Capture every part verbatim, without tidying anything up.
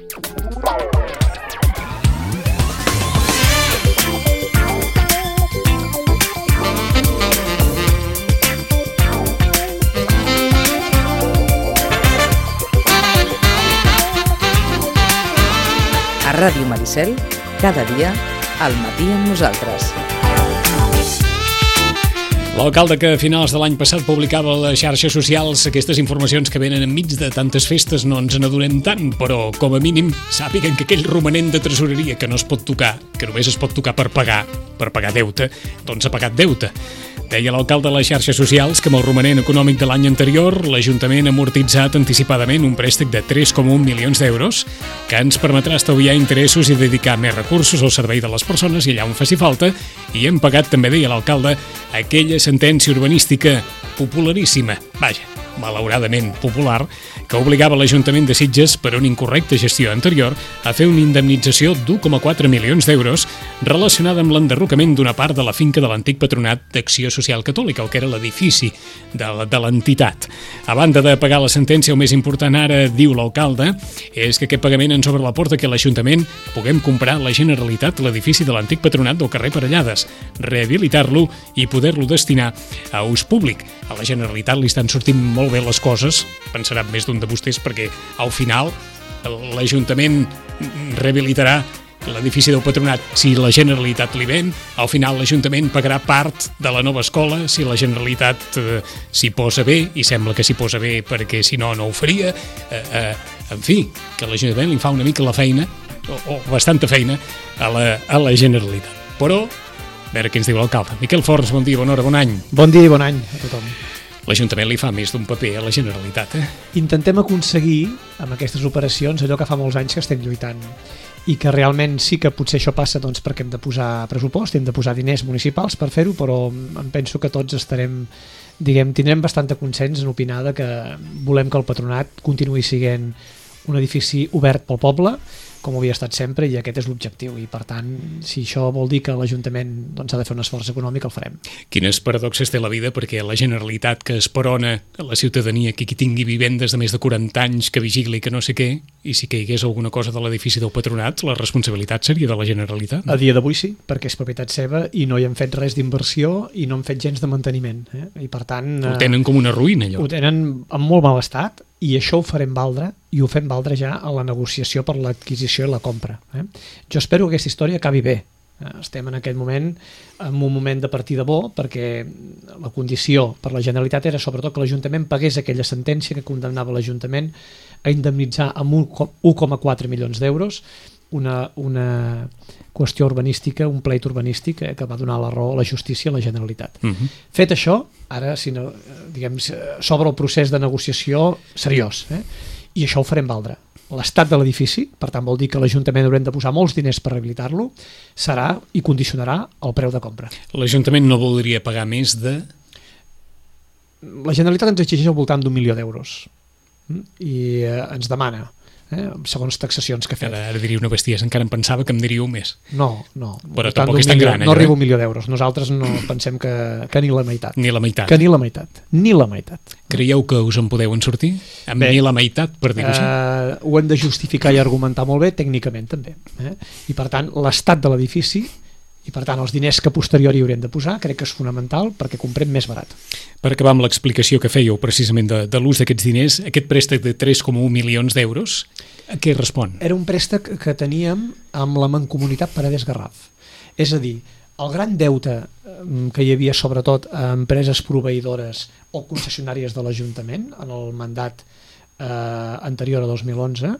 A Ràdio Maricel, cada dia, al matí amb nosaltres. L'alcalde que a finals de l'any passat publicava a les xarxes socials aquestes informacions que venen enmig de tantes festes no ens n'adonem tant, però com a mínim sàpiguen que aquell romanent de tresoreria que no es pot tocar, que només es pot tocar per pagar, per pagar deute, doncs ha pagat deute. Deia l'alcalde a les xarxes socials que amb el romanent econòmic de l'any anterior l'Ajuntament ha amortitzat anticipadament un préstec de tres coma un milions d'euros que ens permetrà estalviar interessos i dedicar més recursos al servei de les persones i allà on faci falta, i hem pagat, també deia l'alcalde, aquella sentència urbanística popularíssima, vaja, malauradament popular, que obligava l'Ajuntament de Sitges, per una incorrecta gestió anterior, a fer una indemnització d'u coma quatre milions d'euros relacionada amb l'enderrocament d'una part de la finca de l'antic Patronat d'Acció Social Catòlica, el que era l'edifici de, de l'entitat. A banda de pagar la sentència, el més important ara, diu l'alcalde, és que aquest pagament ens obre la porta que l'Ajuntament puguem comprar a la Generalitat l'edifici de l'antic Patronat del carrer Parellades, rehabilitar-lo i poder-lo destinar a ús públic. A la Generalitat li estan sortint molt bé les coses, pensarà més d'un de vostès, perquè al final l'Ajuntament rehabilitarà l'edifici del Patronat si la Generalitat li ven, al final l'Ajuntament pagarà part de la nova escola si la Generalitat eh, s'hi posa bé, i sembla que s'hi posa bé perquè si no, no ho faria. Eh, eh, en fi, que l'Ajuntament li fa una mica la feina, o, o bastanta feina, a la, a la Generalitat. Però, a veure què ens diu l'alcalde. Miquel Forns, bon dia, bona hora, bon any. Bon dia i bon any a tothom. L'Ajuntament li fa més d'un paper a la Generalitat, eh? Intentem aconseguir, amb aquestes operacions, allò que fa molts anys que estem lluitant, i que realment sí que potser això passa doncs, perquè hem de posar pressupost, hem de posar diners municipals per fer-ho, però em penso que tots estarem, diguem, tindrem bastant consens en opinar que volem que el Patronat continuï sent un edifici obert pel poble, com havia estat sempre, i aquest és l'objectiu, i per tant, si això vol dir que l'Ajuntament doncs, ha de fer un esforç econòmic, el farem. Quines paradoxes té la vida, perquè la Generalitat que esperona a la ciutadania que qui tingui vivendes de més de quaranta anys, que vigili que no sé què, i si caigués alguna cosa de l'edifici del Patronat, la responsabilitat seria de la Generalitat, no? A dia d'avui sí, perquè és propietat seva i no hi hem fet res d'inversió i no hem fet gens de manteniment, eh? I per tant... Ho tenen com una ruïna, allò. Ho tenen en molt mal estat, i això ho farem valdre, i ho fem valdre ja a la negociació per l'adquisició i la compra. Eh? Jo espero que aquesta història acabi bé. Estem en aquest moment en un moment de partida bo, perquè la condició per la Generalitat era sobretot que l'Ajuntament pagués aquella sentència que condemnava l'Ajuntament a indemnitzar amb un coma quatre milions d'euros una, una qüestió urbanística, un pleit urbanístic eh, que va donar la raó a la justícia a la Generalitat. Uh-huh. Fet això, ara si no, diguem, s'obre el procés de negociació seriós, eh? I això ho farem valdre. L'estat de l'edifici, per tant vol dir que l'Ajuntament haurem de posar molts diners per rehabilitar-lo, serà i condicionarà el preu de compra. L'Ajuntament no voldria pagar més de... La Generalitat ens exigeix al voltant d'un milió d'euros i eh, ens demana, eh, segons taxacions que fem. Ara, ara diria una bestiesa, encara em pensava que em diríeu més. No, no. Però tampoc és tan gran. No arriba un milió d'euros. Nosaltres no pensem que, que ni la meitat. Ni la meitat. Que ni la meitat. Ni la meitat. Creieu que us en podeu en sortir? Amb bé, ni la meitat, per dir-ho així? Eh, ho hem de justificar i argumentar molt bé, tècnicament també. Eh? I per tant, l'estat de l'edifici i per tant els diners que a posteriori haurem de posar crec que és fonamental perquè comprem més barat. Per acabar amb l'explicació que fèieu precisament de, de l'ús d'aquests diners, aquest préstec de tres coma un milions d'euros, a què respon? Era un préstec que teníem amb la Mancomunitat Paredes Garraf. És a dir, el gran deute que hi havia sobretot a empreses proveïdores o concessionàries de l'Ajuntament en el mandat eh, anterior a dos mil onze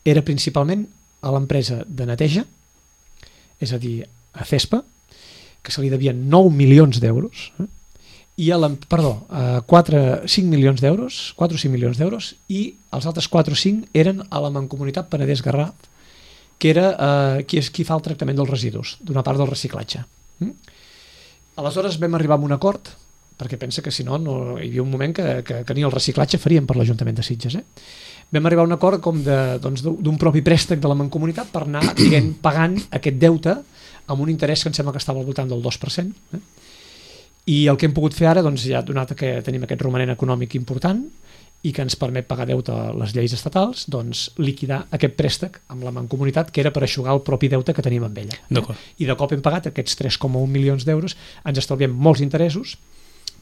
era principalment a l'empresa de neteja, és a dir, a CESPA, que se li devien nou milions d'euros, eh? i a la, perdó, a quatre, cinc milions d'euros, quatre o cinc milions d'euros, i els altres quatre o cinc eren a la Mancomunitat Paredes Garraf, que era eh, qui, és, qui fa el tractament dels residus, d'una part del reciclatge. Mm? Aleshores vam arribar a un acord, perquè pensa que si no, no hi havia un moment que, que, que ni el reciclatge faríem per l'Ajuntament de Sitges. Eh? Vam arribar a un acord com de, doncs, d'un propi préstec de la Mancomunitat per anar diguem, pagant aquest deute amb un interès que em sembla que estava al voltant del dos per cent. Eh? I el que hem pogut fer ara, doncs, ja donat que tenim aquest romanent econòmic important, i que ens permet pagar deute a les lleis estatals, doncs liquidar aquest préstec amb la Mancomunitat, que era per eixugar el propi deute que tenim amb ella. D'acord. I de cop hem pagat aquests tres coma un milions d'euros, ens estalviem molts interessos,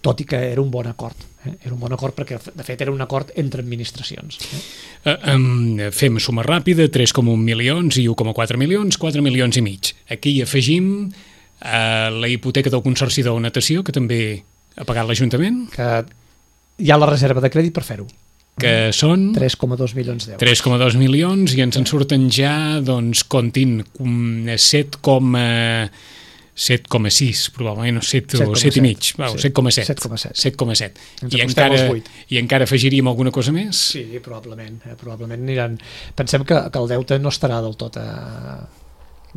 tot i que era un bon acord. Eh? Era un bon acord perquè, de fet, era un acord entre administracions. Eh? Uh, um, fem suma ràpida, tres coma un milions i u coma quatre milions, quatre milions i mig. Aquí hi afegim uh, la hipoteca del Consorci de la Natació, que també ha pagat l'Ajuntament. Que hi ha la reserva de crèdit per fer-ho. Que són tres coma dos milions d'euros. tres coma dos milions i ens en surten ja, doncs, comptin, set coma sis, probablement, set o set i mig, set coma set. set coma set. set coma set. I encara, I encara afegiríem alguna cosa més? Sí, probablement. Eh? Probablement aniran... Pensem que, que el deute no estarà del tot a...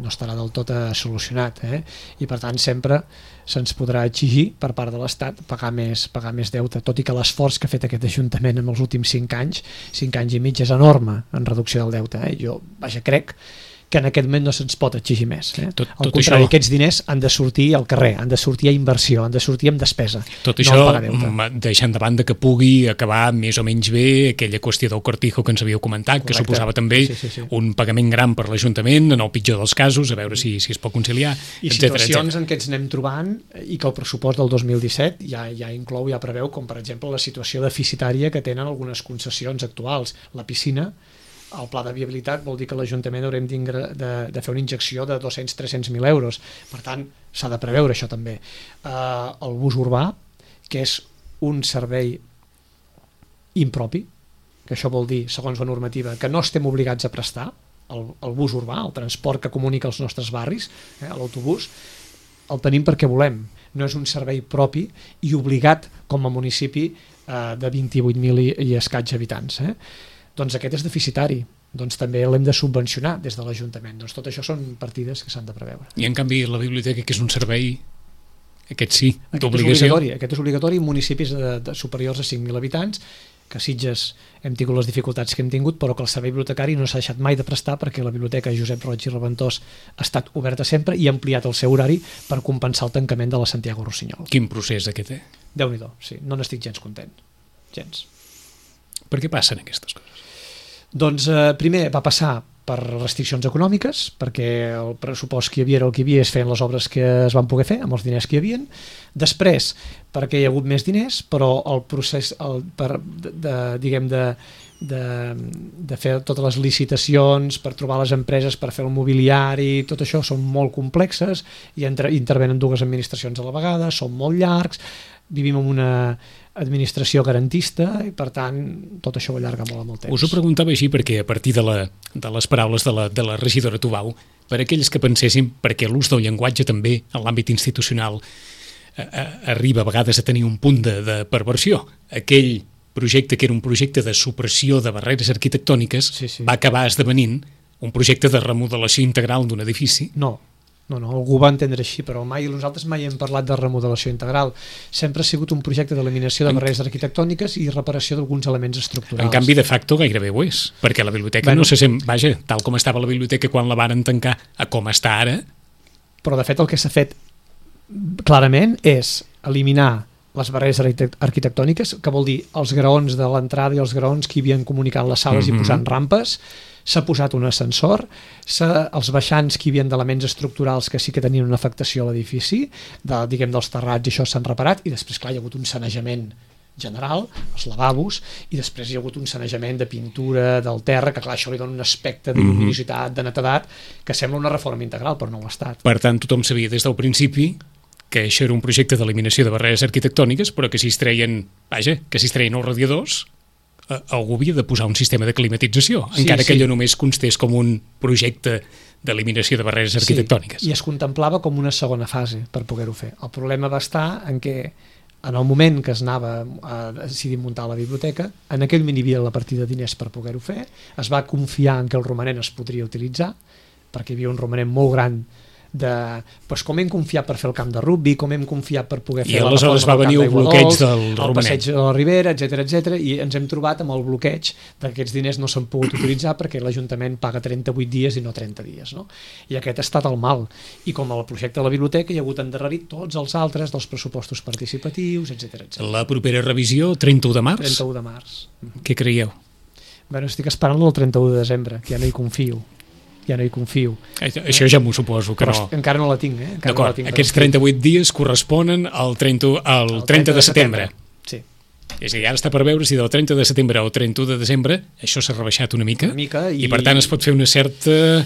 no estarà del tot solucionat, eh? I per tant sempre se'ns podrà exigir per part de l'Estat pagar més, pagar més deute, tot i que l'esforç que ha fet aquest Ajuntament en els últims cinc anys, cinc anys i mig, és enorme en reducció del deute. Eh? Jo, vaja, crec que en aquest moment no se'ns pot exigir més. Eh? Tot, Al tot contrari, això... aquests diners han de sortir al carrer, han de sortir a inversió, han de sortir amb despesa. Tot no això deixant de banda que pugui acabar més o menys bé aquella qüestió del cortijo que ens havíeu comentat, Correcte. Que suposava també sí, sí, sí. un pagament gran per l'Ajuntament, en el pitjor dels casos, a veure si, si es pot conciliar, I etcètera, situacions etcètera. En què ens anem trobant i que el pressupost del dos mil disset ja, ja inclou, ja preveu, com per exemple la situació deficitària que tenen algunes concessions actuals. La piscina, el pla de viabilitat vol dir que l'Ajuntament haurem de, de fer una injecció de dos-cents a tres-cents mil euros. Per tant, s'ha de preveure això també. Uh, el bus urbà, que és un servei impropi, que això vol dir, segons la normativa, que no estem obligats a prestar, el, el bus urbà, el transport que comunica els nostres barris, eh, l'autobús, el tenim perquè volem. No és un servei propi i obligat com a municipi eh, de vint-i-vuit mil i, i escaig habitants. Eh? Doncs aquest és deficitari, doncs també l'hem de subvencionar des de l'Ajuntament. Doncs tot això són partides que s'han de preveure. I en canvi la biblioteca, que és un servei, aquest sí, aquest d'obligació. És obligatori, aquest és obligatori en municipis de, de superiors a cinc mil habitants, que a Sitges hem tingut les dificultats que hem tingut, però que el servei bibliotecari no s'ha deixat mai de prestar perquè la biblioteca Josep Roig i Reventós ha estat oberta sempre i ha ampliat el seu horari per compensar el tancament de la Santiago Rossinyol. Quin procés aquest, eh? Déu-n'hi-do, sí, no n'estic gens content. Gens. Per què passen aquestes coses? Doncs eh, primer va passar per restriccions econòmiques, perquè el pressupost que hi havia era el que hi havia, es feien les obres que es van poder fer amb els diners que hi havien. Després, perquè hi ha hagut més diners, però el procés el, per, de, de, diguem de, de, de fer totes les licitacions, per trobar les empreses, per fer el mobiliari, tot això són molt complexes i entre, intervenen dues administracions a la vegada, són molt llargs, vivim en una administració garantista i per tant tot això ho allarga molt amb el temps. Us ho preguntava així perquè a partir de, la, de les paraules de la, de la regidora Tubau, per aquells que pensessin perquè l'ús del llenguatge també en l'àmbit institucional eh, eh, arriba a vegades a tenir un punt de, de perversió. Aquell projecte que era un projecte de supressió de barreres arquitectòniques sí, sí. va acabar esdevenint un projecte de remodelació integral d'un edifici. No, No, no, algú va entendre així, però mai nosaltres mai hem parlat de remodelació integral. Sempre ha sigut un projecte d'eliminació de barreres arquitectòniques i reparació d'alguns elements estructurals. En canvi, de facto, gairebé ho és, perquè la biblioteca bueno, no se sent... Vaja, tal com estava la biblioteca quan la varen tancar a com està ara... Però, de fet, el que s'ha fet clarament és eliminar les barreres arquitectòniques, que vol dir els graons de l'entrada i els graons que hi havien comunicant les sales mm-hmm. i posant rampes. S'ha posat un ascensor, els baixants que hi havia d'elements estructurals que sí que tenien una afectació a l'edifici, de, diguem dels terrats, i això s'han reparat, i després, clar, hi ha hagut un sanejament general, els lavabos, i després hi ha hagut un sanejament de pintura del terra, que clar, això li dona un aspecte de lluminositat, de netedat, que sembla una reforma integral, però no ho ha estat. Per tant, tothom sabia des del principi que això era un projecte d'eliminació de barreres arquitectòniques, però que si es treien, vaja, que si es treien els radiadors, algú havia de posar un sistema de climatització, sí, encara que sí. allò només constés com un projecte d'eliminació de barreres arquitectòniques. Sí, i es contemplava com una segona fase per poder-ho fer. El problema va estar en què en el moment que es anava a decidir muntar la biblioteca, en aquell moment hi havia la partida de diners per poder-ho fer, es va confiar en que el romanent es podria utilitzar, perquè hi havia un romanent molt gran de pues, com hem confiat per fer el camp de rugby, com hem confiat per poder fer I la aleshores va venir el bloqueig del el romanet, passeig de la Ribera, etcètera, etcètera, i ens hem trobat amb el bloqueig d'aquests diners no s'han pogut utilitzar perquè l'Ajuntament paga trenta-vuit dies i no trenta dies, no? I aquest ha estat el mal, i com el projecte de la biblioteca hi ha hagut endarrerit tots els altres dels pressupostos participatius, etcètera, etcètera. La propera revisió, trenta-u de març? trenta-u de març. Què creieu? Bueno, estic esperant el trenta-u de desembre, que ja no hi confio. Ja no hi confio. Això ja m'ho suposo que Però no. encara no la tinc, eh? Encara D'acord, no la tinc aquests trenta-vuit dies corresponen al trenta, al trenta de setembre. Sí. És a dir, ara està per veure si del trenta de setembre al trenta-u de desembre això s'ha rebaixat una mica, Una mica i... i per tant es pot fer una certa,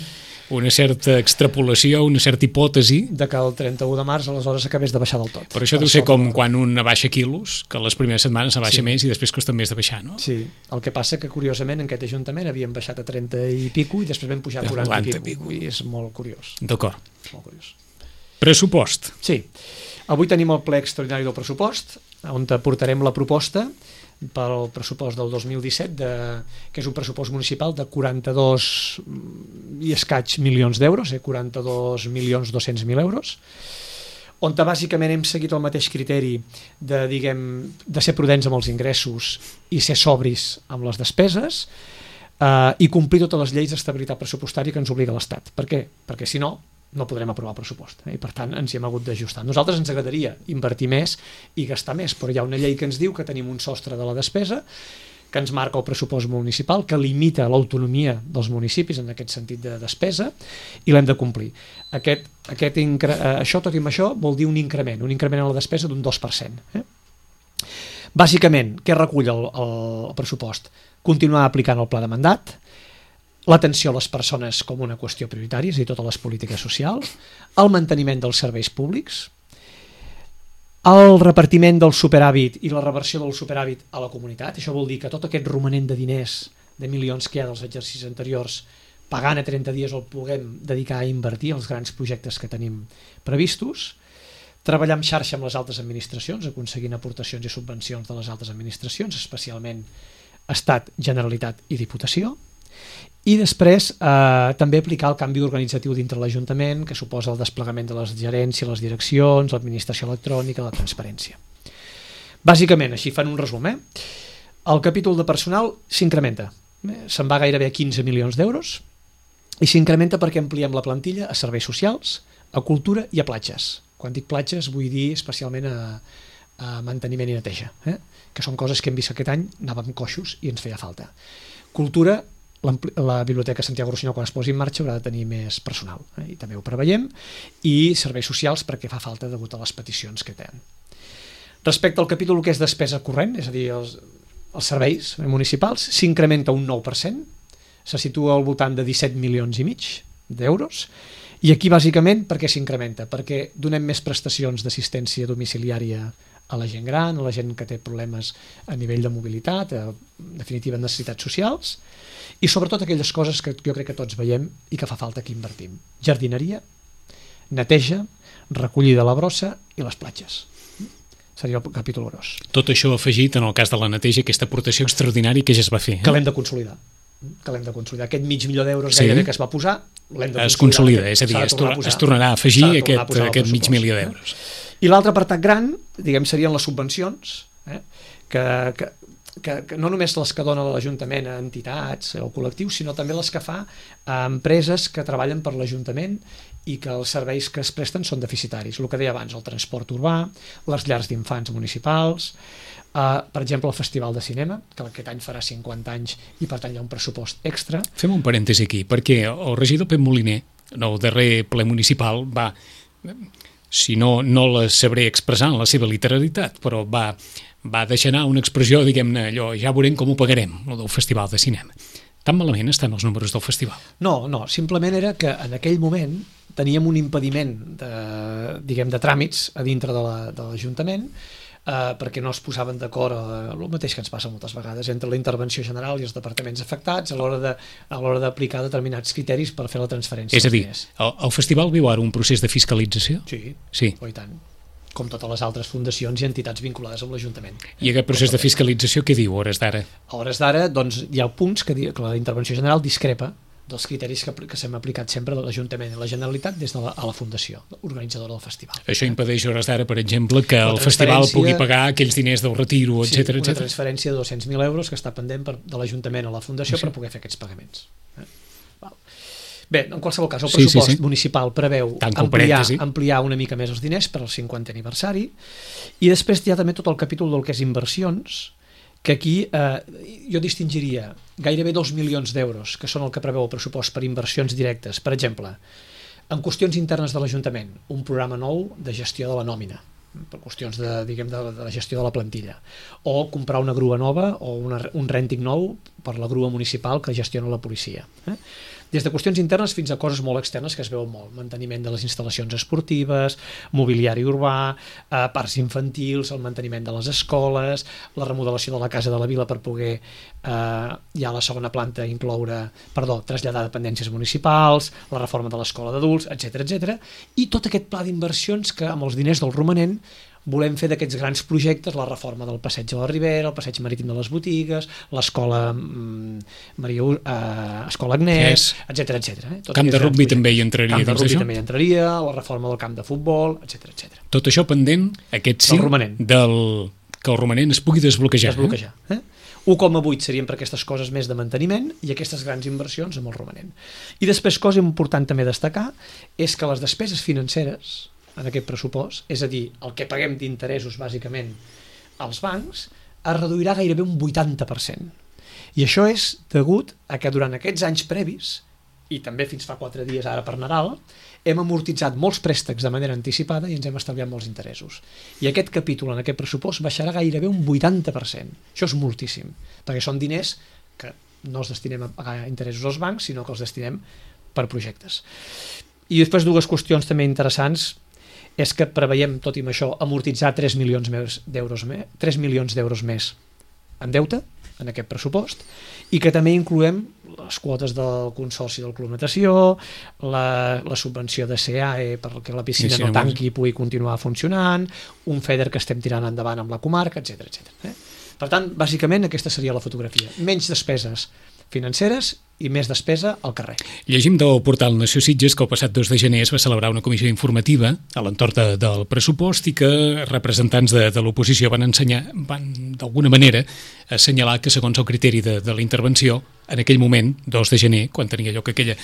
una certa extrapolació, una certa hipòtesi. De que el trenta-u de març aleshores acabés de baixar del tot. Però això deu ser com quan un abaixa quilos, que les primeres setmanes abaixa Sí. més i després costa més de baixar, no? Sí, el que passa que curiosament en aquest Ajuntament havíem baixat a trenta i pico i després vam pujar a quaranta i pico, i és molt curiós. D'acord. Molt curiós. Pressupost. Sí, avui tenim el ple extraordinari del pressupost, on portarem la proposta pel pressupost del dos mil disset, de, que és un pressupost municipal de quaranta-dos i escaig milions d'euros, eh, quaranta-dos milions dos-cents mil euros, on bàsicament hem seguit el mateix criteri de, diguem, de ser prudents amb els ingressos i ser sobris amb les despeses, eh, i complir totes les lleis d'estabilitat pressupostària que ens obliga l'Estat. Per què? Perquè si no, no podrem aprovar el pressupost, eh? I per tant ens hi hem hagut d'ajustar. Nosaltres ens agradaria invertir més i gastar més, però hi ha una llei que ens diu que tenim un sostre de la despesa que ens marca el pressupost municipal, que limita l'autonomia dels municipis en aquest sentit de despesa, i l'hem de complir. Aquest, aquest incre... Això, tot i amb això, vol dir un increment, un increment en la despesa d'un dos per cent. Eh? Bàsicament, què recull el, el, el pressupost? Continuar aplicant el pla de mandat, l'atenció a les persones com una qüestió prioritària, és a dir, totes les polítiques socials, el manteniment dels serveis públics, el repartiment del superàvit i la reversió del superàvit a la comunitat. Això vol dir que tot aquest romanent de diners, de milions que hi ha dels exercicis anteriors, pagant a trenta dies el puguem dedicar a invertir els grans projectes que tenim previstos, treballar en xarxa amb les altres administracions, aconseguint aportacions i subvencions de les altres administracions, especialment Estat, Generalitat i Diputació, i després eh, també aplicar el canvi organitzatiu dintre l'Ajuntament, que suposa el desplegament de les gerències, les direccions, l'administració electrònica, la transparència. Bàsicament, així fan un resum, eh? El capítol de personal s'incrementa, eh? Se'n va gairebé a quinze milions d'euros, i s'incrementa perquè ampliem la plantilla a serveis socials, a cultura i a platges. Quan dic platges vull dir especialment a, a manteniment i neteja, eh? Que són coses que hem vist aquest any, anàvem coixos i ens feia falta. Cultura, la Biblioteca Santiago Rossinyol, quan es posi en marxa, haurà de tenir més personal, eh? I també ho preveiem, i serveis socials perquè fa falta degut a les peticions que tenen. Respecte al capítol que és despesa corrent, és a dir, els, els serveis municipals, s'incrementa un nou per cent, se situa al voltant de disset milions i mig d'euros, i aquí bàsicament per què s'incrementa? Perquè donem més prestacions d'assistència domiciliària a la gent gran, a la gent que té problemes a nivell de mobilitat, a, en definitiva necessitats socials, i sobretot aquelles coses que jo crec que tots veiem i que fa falta que invertim. Jardineria, neteja, recollida de la brossa i les platges. Seria el capítol gros. Tot això afegit en el cas de la neteja, aquesta aportació extraordinària que ja es va fer. Eh? Que l'hem de consolidar. Que l'hem de consolidar. Aquest mig milió d'euros sí. gairebé que es va posar, l'hem de consolidar. Es consolida, és a dir, es, torna, es tornarà a afegir a aquest, a aquest mig milió d'euros. I l'altre apartat gran, diguem, serien les subvencions, eh? que, que, que, que no només les que dona l'Ajuntament a entitats o col·lectius, sinó també les que fa a empreses que treballen per l'Ajuntament i que els serveis que es presten són deficitaris. El que deia abans, el transport urbà, les llars d'infants municipals, eh, per exemple, el Festival de Cinema, que aquest any farà cinquanta anys i per tant hi ha un pressupost extra. Fem un parèntesi aquí, perquè el regidor Pep Moliner, en el darrer ple municipal, va... si no, no la sabré expressar en la seva literalitat, però va, va deixar anar una expressió, diguem-ne, allò, ja veurem com ho pagarem, el del Festival de Cinema. Tan malament estan els números del festival? No, no, simplement era que en aquell moment teníem un impediment de, diguem, de tràmits a dintre de l'Ajuntament, eh, perquè no es posaven d'acord, eh, el mateix que ens passa moltes vegades, entre la intervenció general i els departaments afectats a l'hora de, a l'hora d'aplicar determinats criteris per fer la transferència. És a dir, el, el festival viu ara un procés de fiscalització? Sí, sí. Oh, i tant. Com totes les altres fundacions i entitats vinculades amb l'Ajuntament. I aquest procés de fiscalització què diu a hores d'ara? A hores d'ara, doncs, hi ha punts que, que la intervenció general discrepa dels criteris que, que s'hem aplicat sempre de l'Ajuntament i la Generalitat des de la, a la Fundació organitzadora del festival. Això impedeix hores d'ara, per exemple, que el festival pugui pagar aquells diners del retiro, sí, etcètera, una etcètera. transferència de dos-cents mil euros que està pendent per, de l'Ajuntament a la Fundació sí. per poder fer aquests pagaments. Eh? Bé, en qualsevol cas, el pressupost sí, sí, sí. municipal preveu ampliar, ampliar una mica més els diners per al cinquantè aniversari, i després hi ha també tot el capítol del que és inversions, que aquí eh, jo distingiria gairebé dos milions d'euros, que són el que preveu el pressupost per inversions directes. Per exemple, en qüestions internes de l'Ajuntament, un programa nou de gestió de la nòmina, per qüestions de, diguem, de, de la gestió de la plantilla, o comprar una grua nova o una, un rènting nou per la grua municipal que gestiona la policia. Eh? Des de qüestions internes fins a coses molt externes que es veuen molt. Manteniment de les instal·lacions esportives, mobiliari urbà, eh, parcs infantils, el manteniment de les escoles, la remodelació de la Casa de la Vila per poder, eh, ja a la segona planta, incloure, perdó, traslladar dependències municipals, la reforma de l'escola d'adults, etcètera, etcètera, i tot aquest pla d'inversions que amb els diners del romanent volem fer d'aquests grans projectes, la reforma del passeig de la Ribera, el passeig marítim de les botigues, l'escola mm, Maria, eh, escola Agnès, etcètera, etcètera. Eh? Camp de rugbi també hi entraria. Camp de rugbi també hi entraria, la reforma del camp de futbol, etcètera, etcètera. Tot això pendent, aquest sí, del que el romanent es pugui desbloquejar. Desbloquejar. Eh? un coma vuit serien per aquestes coses més de manteniment i aquestes grans inversions amb el romanent. I després, cosa important també destacar, és que les despeses financeres en aquest pressupost, és a dir, el que paguem d'interessos bàsicament als bancs, es reduirà gairebé un vuitanta per cent. I això és degut a que durant aquests anys previs, i també fins fa quatre dies ara per Nadal, hem amortitzat molts préstecs de manera anticipada i ens hem estalviat molts interessos. I aquest capítol en aquest pressupost baixarà gairebé un vuitanta per cent. Això és moltíssim, perquè són diners que no els destinem a pagar interessos als bancs, sinó que els destinem per projectes. I després dues qüestions també interessants és que preveiem, tot i amb això, amortitzar tres milions d'euros més, tres milions d'euros més en deute, en aquest pressupost, i que també incloem les quotes del Consorci del Club Natació, la, la subvenció de C A E perquè la piscina sí, sí, no tanqui i pugui continuar funcionant, un FEDER que estem tirant endavant amb la comarca, etcètera, etcètera. Eh? Per tant, bàsicament, aquesta seria la fotografia. Menys despeses financeres i més despesa al carrer. Llegim del portal Nació Sitges que el passat dos de gener es va celebrar una comissió informativa a l'entorn de, del pressupost i que representants de, de l'oposició van ensenyar, van d'alguna manera assenyalar que segons el criteri de, de la intervenció, en aquell moment, dos de gener, quan tenia lloc aquella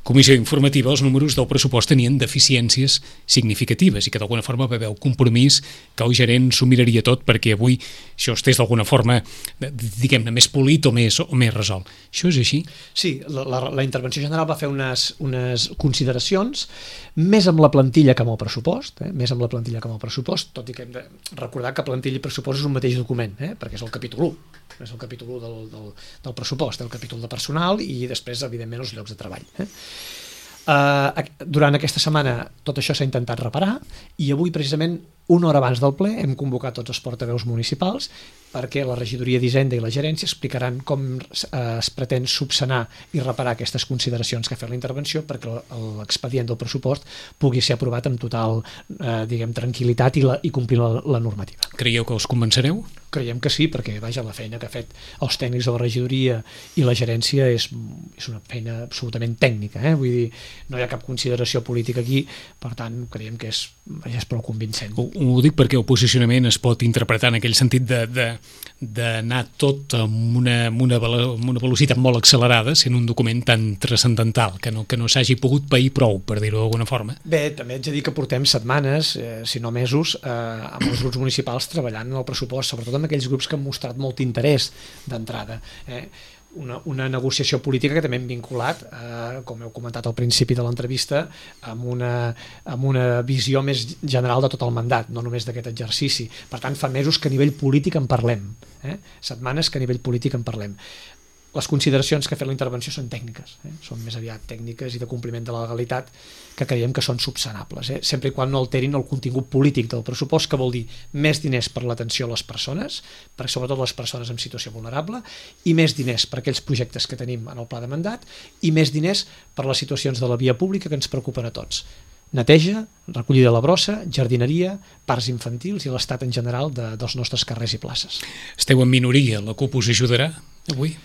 comissió informativa, els números del pressupost tenien deficiències significatives i que d'alguna forma va haver el compromís que el gerent s'ho miraria tot perquè avui això estés d'alguna forma, diguem-ne, més polit o més, o més resolt. Això és així? Sí, la, la, la intervenció general va fer unes, unes consideracions més amb la plantilla que amb el pressupost, eh? més amb la plantilla que amb el pressupost, tot i que hem de recordar que plantilla i pressupost és un mateix document, eh? perquè és el capítol u, és el capítol u del, del, del pressupost, el capítol de personal i després, evidentment, els llocs de treball. Eh? Uh, durant aquesta setmana tot això s'ha intentat reparar i avui, precisament, una hora abans del ple, hem convocat tots els portaveus municipals perquè la regidoria d'Hisenda i la gerència explicaran com es pretén subsanar i reparar aquestes consideracions que ha fet la intervenció perquè l'expedient del pressupost pugui ser aprovat amb total eh, diguem, tranquil·litat i, la, i complir la, la normativa. Creieu que us convencereu? Creiem que sí, perquè vaja, la feina que ha fet els tècnics de la regidoria i la gerència és, és una feina absolutament tècnica, eh? Vull dir, no hi ha cap consideració política aquí, per tant, creiem que és, vaja, és prou convincent. Ho, ho dic perquè el posicionament es pot interpretar en aquell sentit de, de, d'anar tot amb una, amb, una, amb una velocitat molt accelerada, sent un document tan transcendental, que no, que no s'hagi pogut pair prou, per dir-ho d'alguna forma. Bé, també haig de dir que portem setmanes, eh, si no mesos, eh, amb els grups municipals treballant en el pressupost, sobretot amb aquells grups que han mostrat molt interès d'entrada. Eh? Una, una negociació política que també hem vinculat, eh, com heu comentat al principi de l'entrevista, amb una, amb una visió més general de tot el mandat, no només d'aquest exercici. Per tant, fa mesos que a nivell polític en parlem, eh? setmanes que a nivell polític en parlem. Les consideracions que ha fet la intervenció són tècniques, eh? són més aviat tècniques i de compliment de la legalitat que creiem que són subsanables, eh? sempre i quan no alterin el contingut polític del pressupost, que vol dir més diners per l'atenció a les persones, per sobretot les persones en situació vulnerable, i més diners per aquells projectes que tenim en el pla de mandat, i més diners per les situacions de la via pública que ens preocupen a tots. Neteja, recollida de la brossa, jardineria, parcs infantils i l'estat en general de, dels nostres carrers i places. Esteu en minoria, la CUP us ajudarà avui?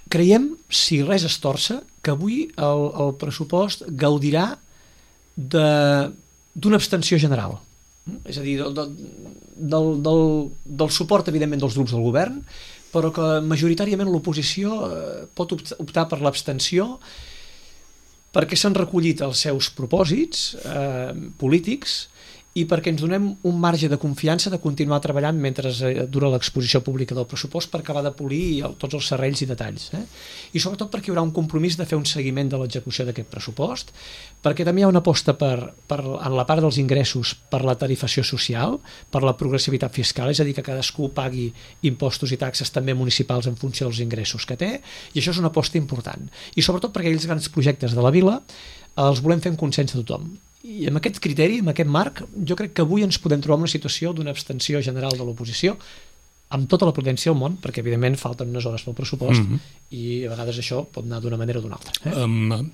creiem, si res es torça, que avui el, el pressupost gaudirà d'una abstenció general. És a dir, del, del, del, del suport, evidentment, dels grups del govern, però que majoritàriament l'oposició pot optar per l'abstenció perquè s'han recollit els seus propòsits eh, polítics i perquè ens donem un marge de confiança de continuar treballant mentre dura l'exposició pública del pressupost per acabar de polir el, tots els serrells i detalls. Eh? I sobretot perquè hi haurà un compromís de fer un seguiment de l'execució d'aquest pressupost, perquè també hi ha una aposta per, per, en la part dels ingressos per la tarifació social, per la progressivitat fiscal, és a dir, que cadascú pagui impostos i taxes també municipals en funció dels ingressos que té, i això és una aposta important. I sobretot perquè aquells grans projectes de la vila els volem fer en consens de tothom. I amb aquest criteri, amb aquest marc, jo crec que avui ens podem trobar una situació d'una abstenció general de l'oposició amb tota la prudència del món, perquè evidentment falten unes hores pel pressupost mm-hmm. i a vegades això pot anar d'una manera o d'una altra. Eh? Um,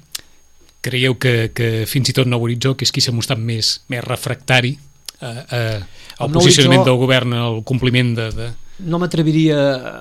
creieu que, que fins i tot Nou Horitzó, que és qui s'ha mostrat més, més refractari a, a, al posicionament Horitzó, del govern, al compliment de... de... No m'atreviria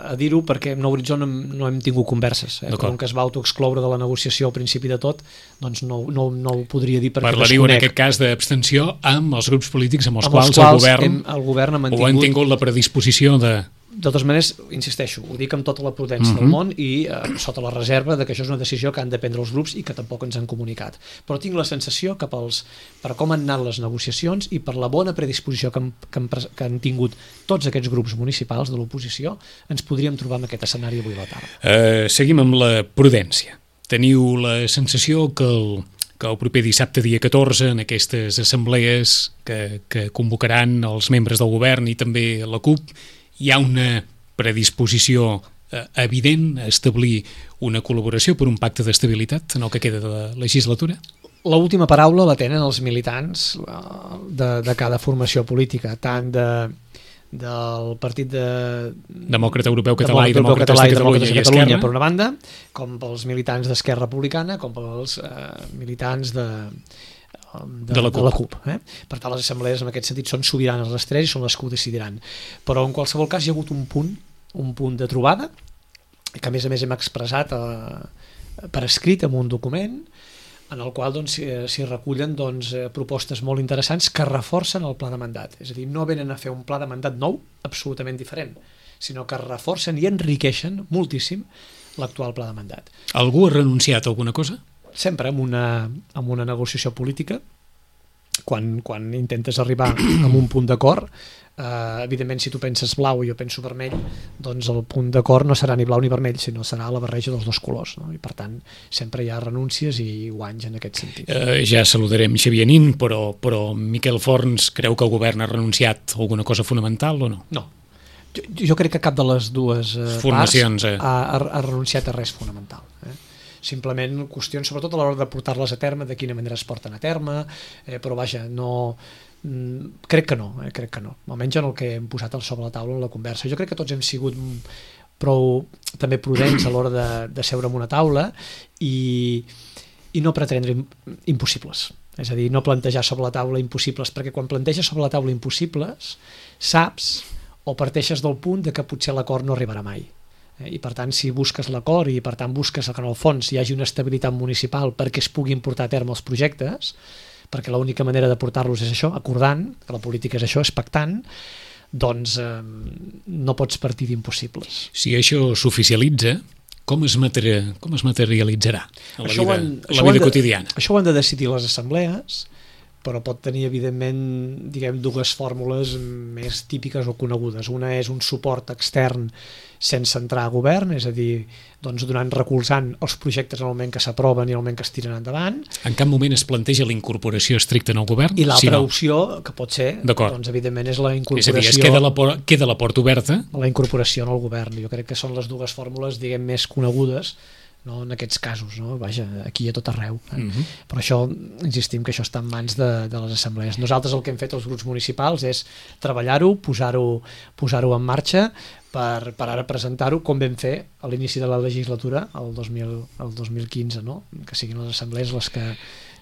a dir-ho perquè amb Nou Horitzó no, no hem tingut converses. Eh? Com que es va autoexcloure de la negociació al principi de tot, doncs no, no, no ho podria dir perquè desconec. Parlaríeu en aquest cas d'abstenció amb els grups polítics amb els, amb quals, els quals el govern, hem, el govern ha mantingut... o han tingut la predisposició de... De totes maneres, insisteixo, ho dic amb tota la prudència mm-hmm. del món i eh, sota la reserva de que això és una decisió que han de prendre els grups i que tampoc ens han comunicat. Però tinc la sensació que pels, per com han anat les negociacions i per la bona predisposició que han, que han, que han tingut tots aquests grups municipals de l'oposició, ens podríem trobar en aquest escenari avui a la tarda. Uh, seguim amb la prudència. Teniu la sensació que el, que el proper dissabte, dia catorze, en aquestes assemblees que, que convocaran els membres del govern i també la CUP, hi ha una predisposició eh, evident a establir una col·laboració per un pacte d'estabilitat en el que queda de la legislatura? L'última paraula la tenen els militants de, de cada formació política, tant de, del Partit de... Demòcrata Europeu Català i Demòcrates de Catalunya i Esquerra, per una banda, com pels militants d'Esquerra Republicana, com pels eh, militants de... De, de, la de la CUP. Eh? Per tant, les assemblees en aquest sentit són sobiranes les tres i són les que ho decidiran. Però en qualsevol cas hi ha hagut un punt, un punt de trobada, que a més a més hem expressat eh, per escrit en un document, en el qual doncs, s'hi recullen doncs, propostes molt interessants que reforcen el pla de mandat. És a dir, no venen a fer un pla de mandat nou, absolutament diferent, sinó que reforcen i enriqueixen moltíssim l'actual pla de mandat. Algú ha renunciat a alguna cosa? Sempre amb una, amb una negociació política, quan, quan intentes arribar a un punt d'acord, eh, evidentment si tu penses blau i jo penso vermell, doncs el punt d'acord no serà ni blau ni vermell, sinó serà la barreja dels dos colors, no? I per tant sempre hi ha renúncies i guanys en aquest sentit. Eh, ja saludarem Xavier Nin, però, però Miquel Forns creu que el govern ha renunciat a alguna cosa fonamental o no? No. Jo, jo crec que cap de les dues eh, formacions parts eh. ha, ha, ha renunciat a res fonamental. Eh? Simplement qüestions, sobretot a l'hora de portar-les a terme, de quina manera es porten a terme, eh, però vaja, no... Mm, crec que no, eh, crec que no. Almenys en el que hem posat sobre la taula en la conversa. Jo crec que tots hem sigut prou també prudents a l'hora de, de seure en una taula i, i no pretendre impossibles. És a dir, no plantejar sobre la taula impossibles, perquè quan planteges sobre la taula impossibles, saps o parteixes del punt de que potser l'acord no arribarà mai. I per tant, si busques l'acord i per tant busques que en el fons hi hagi una estabilitat municipal perquè es puguin portar a terme els projectes, perquè l'única manera de portar-los és això, acordant, que la política és això, és pactant, doncs eh, no pots partir d'impossibles. Si això s'oficialitza, com es, materi- com es materialitzarà a la això vida, han, a la vida de, quotidiana? Això ho han de decidir les assemblees, però pot tenir, evidentment, diguem, dues fórmules més típiques o conegudes. Una és un suport extern sense entrar a govern, és a dir, doncs donant, recolzant els projectes en el moment que s'aproven i en el moment que es tiren endavant. En cap moment es planteja la incorporació estricta en el govern? I l'altra si no. opció, que pot ser, doncs, evidentment, és la incorporació... És a dir, es queda la, por- queda la porta oberta? La incorporació en el govern. Jo crec que són les dues fórmules, diguem, més conegudes, no, en aquests casos, no? Vaja, aquí a tot arreu. Eh? Uh-huh. Però això, insistim que això està en mans de, de les assemblees. Nosaltres el que hem fet els grups municipals és treballar-ho, posar-ho posar-ho en marxa per, per ara presentar-ho com vam fer a l'inici de la legislatura el dos mil, el dos mil quinze, no? Que siguin les assemblees les que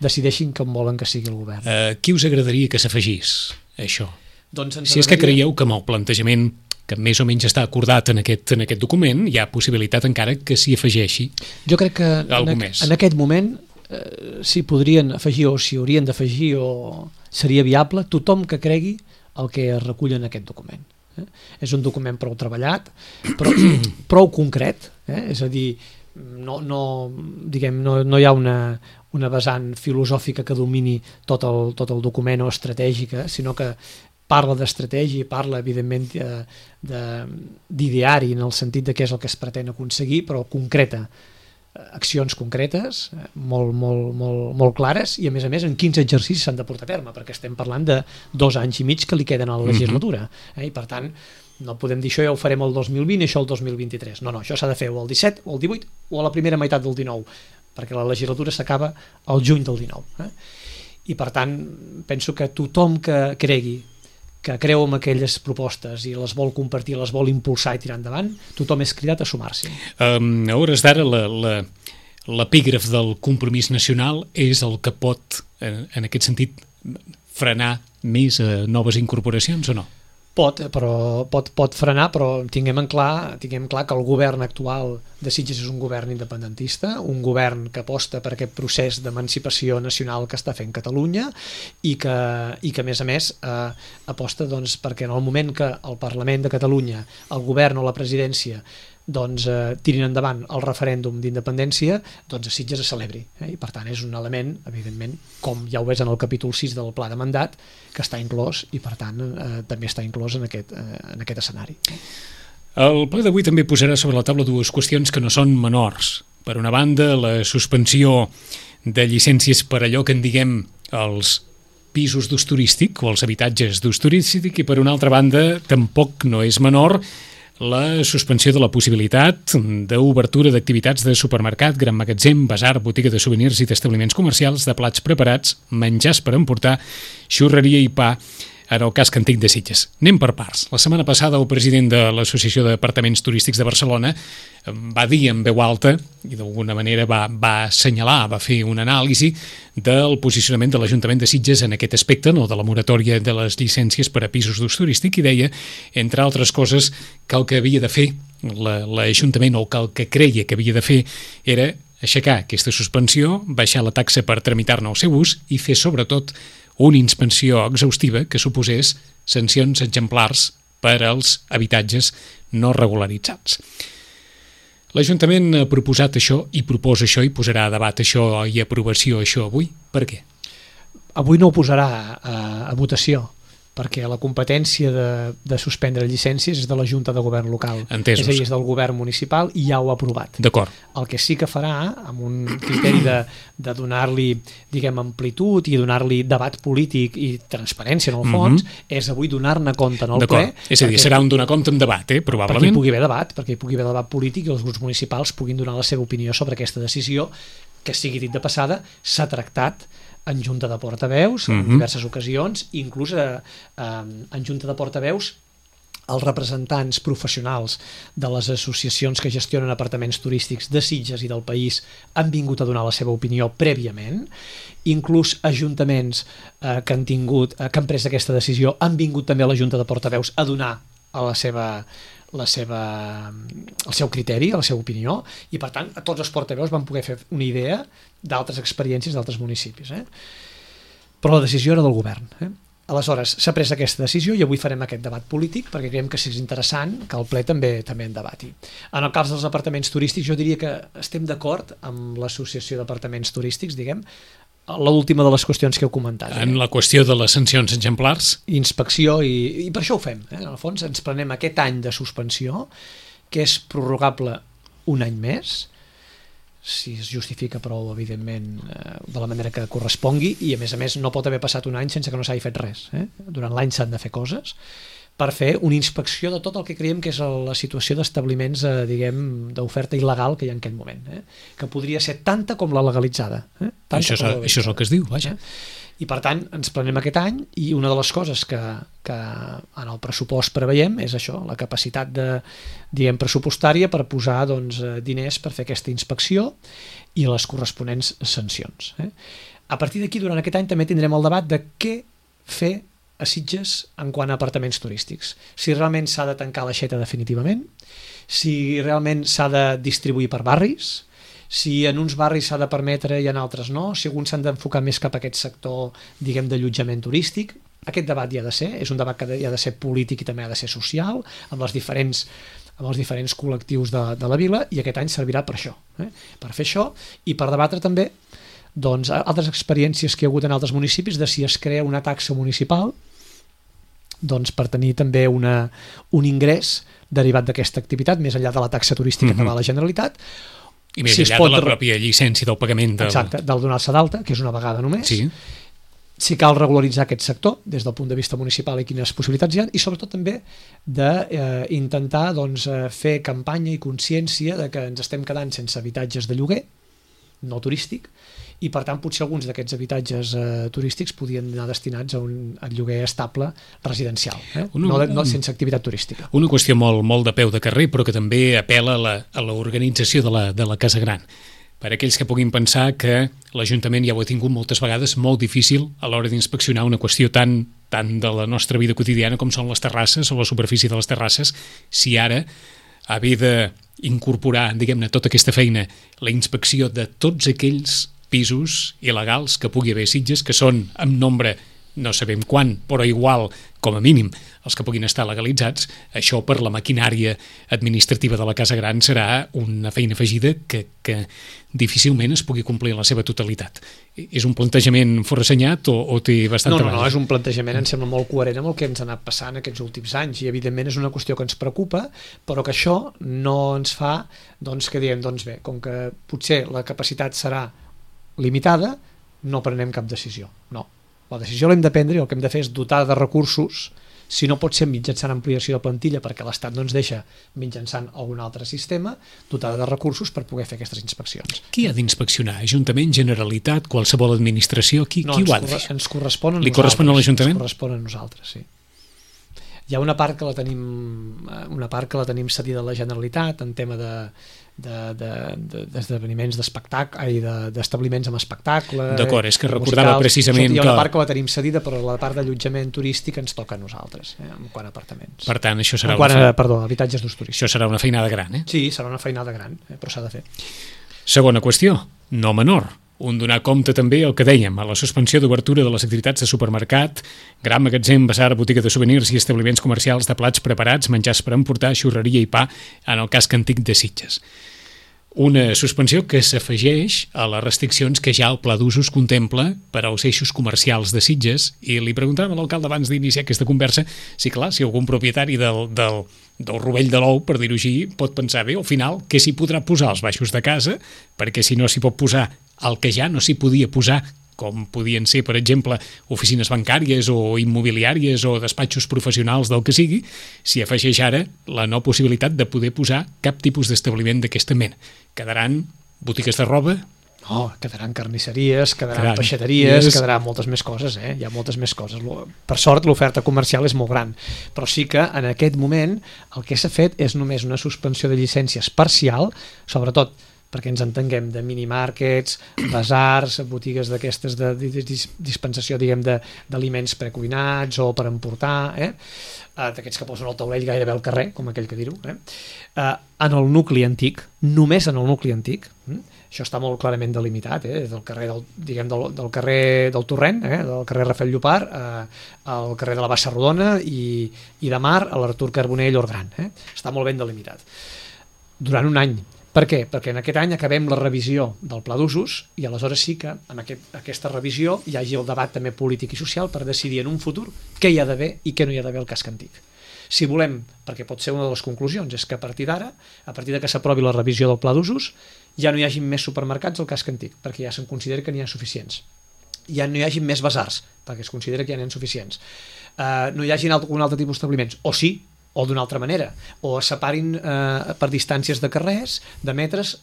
decideixin com volen que sigui el govern. Uh, qui us agradaria que s'afegís a això? Doncs si és que creieu que amb el plantejament que més o menys està acordat en aquest, en aquest document, hi ha possibilitat encara que s'hi afegeixi jo crec que algú en, més. En aquest moment eh, s'hi podrien afegir o s'hi haurien d'afegir o seria viable tothom que cregui el que es recull en aquest document. Eh? És un document prou treballat, però prou concret, eh? És a dir, no, no, diguem, no, no hi ha una, una vessant filosòfica que domini tot el, tot el document o estratègica, sinó que parla d'estratègia, parla evidentment d'ideari en el sentit de què és el que es pretén aconseguir, però concreta, accions concretes, molt, molt, molt, molt clares, i a més a més en quins exercicis s'han de portar a terme, perquè estem parlant de dos anys i mig que li queden a la legislatura, eh? I per tant no podem dir això ja ho farem el dos mil vint i això el dos mil vint-i-tres, no, no, això s'ha de fer o el disset o el divuit o a la primera meitat del dinou, perquè la legislatura s'acaba al juny del dinou, eh? I per tant penso que tothom que cregui que creu en aquelles propostes i les vol compartir, les vol impulsar i tirar endavant, tothom és cridat a sumar-s'hi. Um, a hores d'ara, l'epígraf del compromís nacional és el que pot, en, en aquest sentit, frenar més uh, noves incorporacions o no? Pot, però pot, pot frenar, però tinguem en clar, tinguem clar que el govern actual de Sitges és un govern independentista, un govern que aposta per aquest procés d'emancipació nacional que està fent Catalunya i que, i que a més a més, eh, aposta doncs, perquè en el moment que el Parlament de Catalunya, el govern o la presidència doncs, eh, tirin endavant el referèndum d'independència, doncs a Sitges es celebri. Eh? I per tant és un element, evidentment, com ja ho ves en el capítol sis del pla de mandat, que està inclòs i per tant eh, també està inclòs en aquest, eh, en aquest escenari. El ple d'avui també posarà sobre la taula dues qüestions que no són menors. Per una banda, la suspensió de llicències per allò que en diguem els pisos d'ús turístic o els habitatges d'ús turístic, i per una altra banda tampoc no és menor la suspensió de la possibilitat d'obertura d'activitats de supermercat, gran magatzem, basar, botiga de souvenirs i d'establiments comercials, de plats preparats, menjars per emportar, xurreria i pa, en el casc antic de Sitges. Anem per parts. La setmana passada el president de l'Associació d'Apartaments Turístics de Barcelona va dir en veu alta, i d'alguna manera va, va assenyalar, va fer una anàlisi del posicionament de l'Ajuntament de Sitges en aquest aspecte, no, de la moratòria de les llicències per a pisos d'ús turístic, i deia, entre altres coses, que el que havia de fer l'Ajuntament, o que el que creia que havia de fer era aixecar aquesta suspensió, baixar la taxa per tramitar-ne el seu ús i fer, sobretot, una inspecció exhaustiva que suposés sancions exemplars per als habitatges no regularitzats. L'Ajuntament ha proposat això i proposa això i posarà a debat això i aprovació això avui. Per què? Avui no ho posarà a, a votació, perquè la competència de, de suspendre llicències és de la Junta de Govern local. Entesos. És a dir, és del govern municipal i ja ho ha aprovat. D'acord. El que sí que farà, amb un criteri de, de donar-li, diguem, amplitud i donar-li debat polític i transparència en el fons, mm-hmm. és avui donar-ne compte en el ple. És a dir, serà un donar compte amb debat, eh, probablement. Perquè hi pugui haver debat, perquè hi pugui haver debat polític i els grups municipals puguin donar la seva opinió sobre aquesta decisió, que sigui dit de passada, s'ha tractat en Junta de Portaveus, en mm-hmm. diverses ocasions, inclús eh, en Junta de Portaveus els representants professionals de les associacions que gestionen apartaments turístics de Sitges i del país han vingut a donar la seva opinió prèviament, inclús ajuntaments eh, que han tingut, eh, que han pres aquesta decisió han vingut també a la Junta de Portaveus a donar a la seva la seva, el seu criteri, la seva opinió, i per tant a tots els portaveus van poder fer una idea d'altres experiències d'altres municipis. Eh? Però la decisió era del govern. Eh? Aleshores, s'ha pres aquesta decisió i avui farem aquest debat polític perquè creiem que és interessant que el ple també també en debati. En el cas dels apartaments turístics jo diria que estem d'acord amb l'Associació d'Apartaments Turístics, diguem, l'última de les qüestions que heu comentat. En la qüestió de les sancions exemplars. Inspecció, i, i per això ho fem. Eh? En el fons ens prenem aquest any de suspensió, que és prorrogable un any més, si es justifica prou, evidentment, eh, de la manera que correspongui, i a més a més no pot haver passat un any sense que no s'hagi fet res. Eh? Durant l'any s'han de fer coses per fer una inspecció de tot el que creiem que és la situació d'establiments, eh, diguem, d'oferta il·legal que hi ha en aquest moment, eh? que podria ser tanta com la legalitzada. Eh? Això, és, això és el que es diu, vaja. I per tant ens prenem aquest any i una de les coses que, que en el pressupost preveiem és això, la capacitat de, diguem, pressupostària per posar doncs, diners per fer aquesta inspecció i les corresponents sancions. Eh? A partir d'aquí, durant aquest any també tindrem el debat de què fer a Sitges en quant a apartaments turístics. Si realment s'ha de tancar l'aixeta definitivament, si realment s'ha de distribuir per barris, si en uns barris s'ha de permetre i en altres no, si alguns s'han d'enfocar més cap a aquest sector, diguem, d'allotjament turístic. Aquest debat hi ha de ser, és un debat que hi ha de ser polític i també ha de ser social, amb els diferents, amb els diferents col·lectius de, de la vila, i aquest any servirà per això, eh? per fer això i per debatre també doncs, altres experiències que hi ha hagut en altres municipis de si es crea una taxa municipal doncs, per tenir també una, un ingrés derivat d'aquesta activitat, més enllà de la taxa turística mm-hmm. que va a la Generalitat. I més si enllà de la pròpia llicència del pagament. Del... Exacte, del donar-se d'alta, que és una vegada només. Sí. Si cal regularitzar aquest sector des del punt de vista municipal i quines possibilitats hi ha, i sobretot també d'intentar eh, doncs, fer campanya i consciència de que ens estem quedant sense habitatges de lloguer, no turístic, i per tant potser alguns d'aquests habitatges eh, turístics podien anar destinats a un a lloguer estable residencial, eh? Una, no, de, no sense activitat turística. Una qüestió molt, molt de peu de carrer, però que també apela a la, a l'organització de la, de la Casa Gran. Per aquells que puguin pensar que l'Ajuntament ja ho ha tingut moltes vegades molt difícil a l'hora d'inspeccionar una qüestió tan, tan de la nostra vida quotidiana com són les terrasses o la superfície de les terrasses, si ara haver d'incorporar, diguem-ne, tota aquesta feina, la inspecció de tots aquells pisos il·legals que pugui haver a Sitges, que són en nombre, no sabem quan, però igual, com a mínim, els que puguin estar legalitzats, això per la maquinària administrativa de la Casa Gran serà una feina afegida que, que difícilment es pugui complir en la seva totalitat. És un plantejament forassenyat o, o té bastanta base? No, no, no, base? és un plantejament, em sembla molt coherent amb el que ens ha anat passant aquests últims anys, i evidentment és una qüestió que ens preocupa, però que això no ens fa doncs, que diem, doncs bé, com que potser la capacitat serà limitada, no prenem cap decisió. No. La decisió l'hem de prendre i el que hem de fer és dotar de recursos, si no pot ser mitjançant ampliació de plantilla perquè l'Estat no ens deixa mitjançant algun altre sistema, dotar de recursos per poder fer aquestes inspeccions. Qui ha d'inspeccionar? Ajuntament, Generalitat, qualsevol administració? Qui, no, qui ho ha de fer? Ens correspon a Li correspon a l'Ajuntament? Ens correspon a nosaltres, sí. Hi ha una part que la tenim una part que la tenim cedida a la Generalitat en tema de d'esdeveniments d'espectacle i d'establiments amb espectacle. D'acord, és que recordava precisament que... Hi ha una part que la tenim cedida, però la part d'allotjament turístic ens toca a nosaltres, eh, en quant a apartaments. Per tant, això serà en quant una... a, perdó, habitatges d'ús turístic. Això serà una feinada gran, eh? Sí, serà una feinada gran, eh, però s'ha de fer. Segona qüestió, no menor. Un donar compte també el que dèiem, a la suspensió d'obertura de les activitats de supermercat, gran magatzem, basar, botiga de souvenirs i establiments comercials de plats preparats, menjars per emportar, xurreria i pa, en el casc antic de Sitges. Una suspensió que s'afegeix a les restriccions que ja el Pla d'Usos contempla per als eixos comercials de Sitges, i li preguntàvem a l'alcalde abans d'iniciar aquesta conversa si, clar, si algun propietari del, del, del rovell de l'ou, per dir-ho així, pot pensar bé, al final, què s'hi podrà posar als baixos de casa, perquè si no s'hi pot posar el que ja no s'hi podia posar, com podien ser, per exemple, oficines bancàries o immobiliàries o despatxos professionals del que sigui, s'hi afegeix ara la no possibilitat de poder posar cap tipus d'establiment d'aquesta mena. Quedaran botigues de roba? No, quedaran carnisseries, quedaran Caram, peixateries, yes. quedaran moltes més coses, eh? Hi ha moltes més coses. Per sort, l'oferta comercial és molt gran, però sí que en aquest moment el que s'ha fet és només una suspensió de llicències parcial, sobretot perquè ens entenguem, de minimarkets, basars, botigues d'aquestes de dispensació, diguem, d'aliments precuinats o per emportar, eh? D'aquests que posen al taulell gairebé al carrer, com aquell que dir-ho. Eh? En el nucli antic, només en el nucli antic, això està molt clarament delimitat, eh? Del carrer del, diguem, del, del carrer del Torrent, eh? Del carrer Rafael Llopart, eh? al carrer de la Bassa Rodona i, i de Mar a l'Artur Carbonell Orgran. Eh? Està molt ben delimitat. Durant un any. Per què? Perquè en aquest any acabem la revisió del Pla d'Usos i aleshores sí que en aquest, aquesta revisió hi hagi el debat també polític i social per decidir en un futur què hi ha d'haver i què no hi ha d'haver al casc antic. Si volem, perquè pot ser una de les conclusions, és que a partir d'ara, a partir de que s'aprovi la revisió del Pla d'Usos, ja no hi hagi més supermercats al casc antic, perquè ja se'n considera que n'hi ha suficients. Ja no hi hagi més basars, perquè es considera que ja n'hi ha suficients. Uh, no hi hagi algun altre tipus d'establiments, o sí, o d'una altra manera, o es separin eh, per distàncies de carrers, de metres,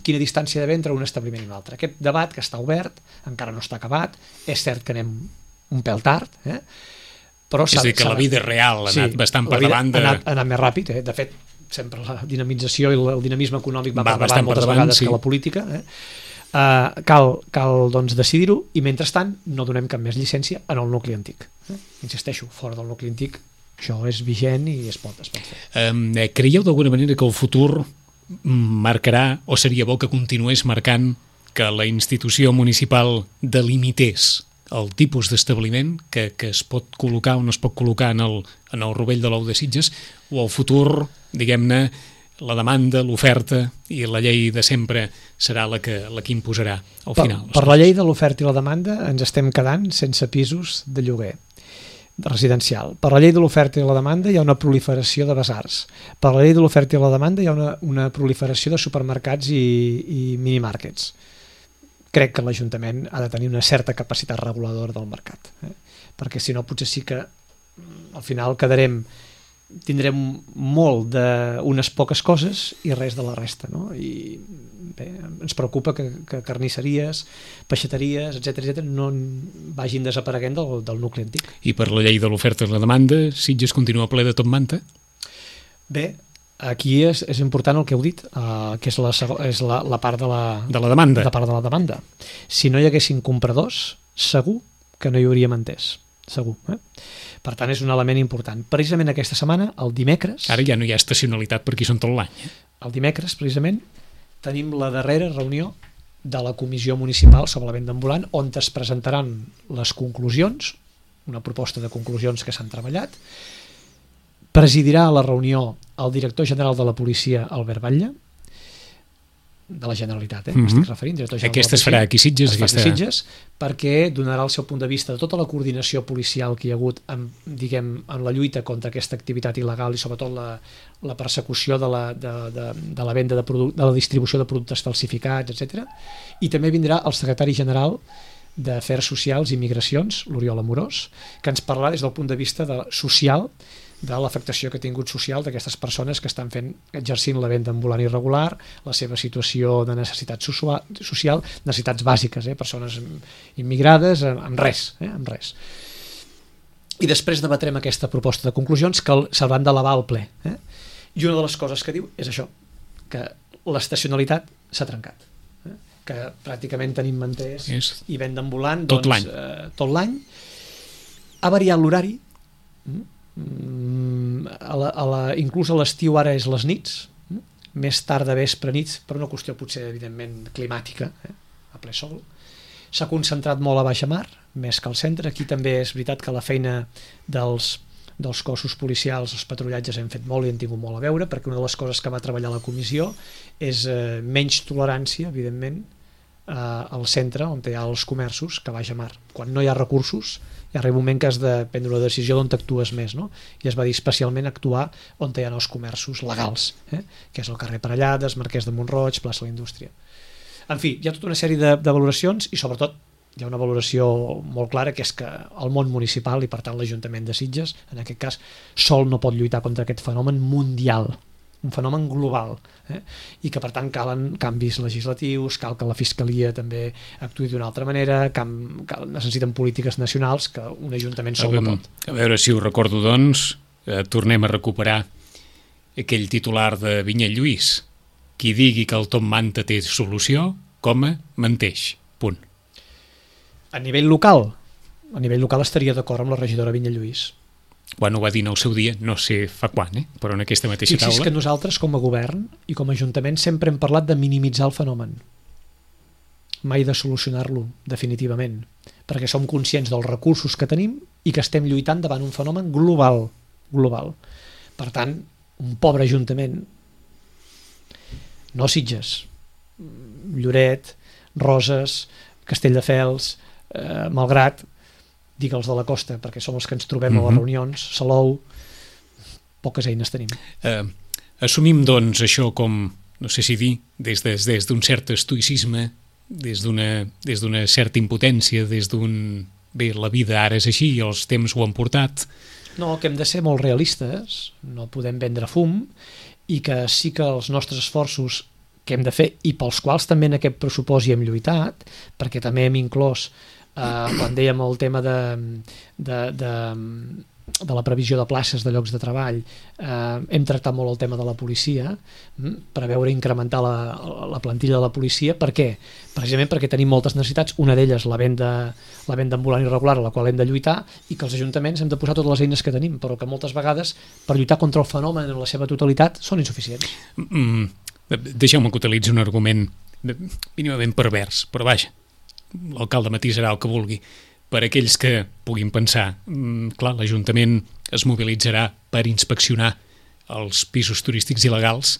quina distància hi ha d'haver entre un establiment i un altre. Aquest debat que està obert, encara no està acabat, és cert que anem un pèl tard, eh? Però és a dir, que la vida real ha anat sí, bastant per davant de... ha anat, ha anat més ràpid, eh? De fet, sempre la dinamització i el dinamisme econòmic va, va per davant moltes per davant, vegades sí. que la política, eh? Uh, cal cal doncs, decidir-ho i mentrestant no donem cap més llicència en el nucli antic. Eh? Insisteixo, fora del nucli antic això és vigent i es pot, es pot fer. Um, creieu d'alguna manera que el futur marcarà, o seria bo que continués marcant, que la institució municipal delimités el tipus d'establiment que, que es pot col·locar o no es pot col·locar en el, en el rovell de l'ou de Sitges, o el futur, diguem-ne, la demanda, l'oferta i la llei de sempre serà la que, la que imposarà al final? Per, per la llei de l'oferta i la demanda ens estem quedant sense pisos de lloguer residencial. Per la llei de l'oferta i la demanda hi ha una proliferació de basars. Per la llei de l'oferta i la demanda hi ha una, una proliferació de supermercats i, i minimàrquets. Crec que l'Ajuntament ha de tenir una certa capacitat reguladora del mercat, eh? Perquè si no potser sí que al final quedarem tindrem molt d'unes poques coses i res de la resta, no? I bé, ens preocupa que, que carnisseries, peixateries, etcètera, etcètera, no vagin desapareguent del, del nucli antic. I per la llei de l'oferta i la demanda, Sitges continua ple de tot manta? Bé, aquí és, és important el que heu dit, uh, que és, la, és la, la part de la, de la demanda. La part de la demanda. Si no hi haguessin compradors, segur que no hi hauríem entès. Segur, eh? Per tant, és un element important. Precisament aquesta setmana, el dimecres... Ara ja no hi ha estacionalitat per aquí són tot l'any. Eh? El dimecres, precisament, tenim la darrera reunió de la Comissió Municipal sobre la venda ambulant, on es presentaran les conclusions, una proposta de conclusions que s'han treballat. Presidirà la reunió el director general de la policia, Albert Batlle, de la Generalitat, eh? Mm-hmm. Estic referint, director general aquesta de la policia. Es farà aquí Sitges, es aquesta... fa aquí Sitges, perquè donarà el seu punt de vista de tota la coordinació policial que hi ha hagut en, diguem, en la lluita contra aquesta activitat il·legal i sobretot la, la persecució de la, de, de, de la venda de, produc de la distribució de productes falsificats, etcètera. I també vindrà el secretari general d'Afers Socials i Migracions, l'Oriol Amorós, que ens parlarà des del punt de vista de, social de l'afectació que ha tingut social d'aquestes persones que estan fent, exercint la venda ambulant irregular, la seva situació de necessitat social, necessitats bàsiques, eh? Persones immigrades, amb res, eh? amb res. I després debatrem aquesta proposta de conclusions que s'hauran d'elevar al ple. Eh? I una de les coses que diu és això, que l'estacionalitat s'ha trencat. Eh? Que pràcticament tenim manters és i venda ambulant tot doncs, l'any. Eh, tot l'any. Ha variat l'horari, a la, a la, inclús a l'estiu ara és les nits, més tard de vespre nits, per una qüestió potser evidentment climàtica, eh? A ple sol. S'ha concentrat molt a baixa mar, més que al centre. Aquí també és veritat que la feina dels, dels cossos policials, els patrullatges hem fet molt i hem tingut molt a veure, perquè una de les coses que va treballar la comissió és eh, menys tolerància, evidentment, eh, al centre on hi ha els comerços que a baixa mar. Quan no hi ha recursos hi arriba un moment que has de prendre una decisió d'on t'actues més, no? I es va dir especialment actuar on hi ha els comerços legals, eh? Que és el carrer Parellades, Marquès de Montroig, plaça de la Indústria. En fi, hi ha tota una sèrie de, de valoracions i sobretot hi ha una valoració molt clara, que és que el món municipal i per tant l'Ajuntament de Sitges, en aquest cas, sol no pot lluitar contra aquest fenomen mundial, un fenomen global, eh? I que per tant calen canvis legislatius, cal que la Fiscalia també actuï d'una altra manera, cal, cal, necessiten polítiques nacionals que un Ajuntament sol no pot. A veure si ho recordo, doncs, eh, tornem a recuperar aquell titular de Vinyet Lluís: qui digui que el Top Manta té solució, coma, menteix, punt. A nivell local, a nivell local estaria d'acord amb la regidora Vinyet Lluís. Quan ho va dir en el seu dia, no sé fa quan, eh? Però en aquesta mateixa Fixi's taula... que nosaltres, com a govern i com a Ajuntament, sempre hem parlat de minimitzar el fenomen. Mai de solucionar-lo, definitivament. Perquè som conscients dels recursos que tenim i que estem lluitant davant un fenomen global. global. Per tant, un pobre Ajuntament, no Sitges, Lloret, Roses, Castelldefels, eh, Malgrat... digue'ls de la costa, perquè som els que ens trobem mm-hmm. a les reunions, Salou, poques eines tenim. Eh, assumim, doncs, això com, no sé si dir, des d'un de, des cert estoicisme, des d'una des d'una certa impotència, des d'un... Bé, la vida ara és així, els temps ho han portat. No, que hem de ser molt realistes, no podem vendre fum, i que sí que els nostres esforços que hem de fer, i pels quals també en aquest pressupost hi hem lluitat, perquè també hem inclòs Uh, quan dèiem el tema de, de, de, de la previsió de places de llocs de treball, eh, hem tractat molt el tema de la policia, per veure incrementar la, la plantilla de la policia. Per què? Precisament perquè tenim moltes necessitats, una d'elles la venda, la venda ambulant irregular, a la qual hem de lluitar, i que els ajuntaments hem de posar totes les eines que tenim, però que moltes vegades per lluitar contra el fenomen en la seva totalitat són insuficients. Mm, deixeu-me que utilitzi un argument mínimament pervers, però vaja, l'alcalde matisarà el que vulgui. Per aquells que puguin pensar, mm, clar, l'Ajuntament es mobilitzarà per inspeccionar els pisos turístics il·legals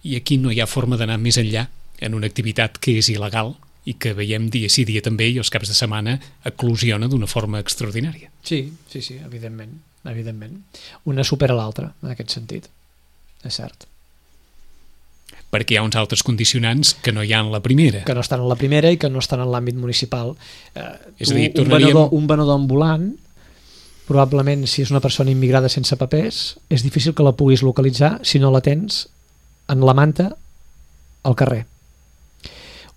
i aquí no hi ha forma d'anar més enllà en una activitat que és il·legal i que veiem dia sí dia també i els caps de setmana eclosiona d'una forma extraordinària. Sí, sí, sí, evidentment, evidentment. Una supera l'altra, en aquest sentit, és cert. Perquè hi ha uns altres condicionants que no hi ha en la primera. Que no estan en la primera i que no estan en l'àmbit municipal. Eh, és a dir, tu, un, tornaríem... venedor, un venedor ambulant, probablement si és una persona immigrada sense papers, és difícil que la puguis localitzar si no la tens en la manta al carrer.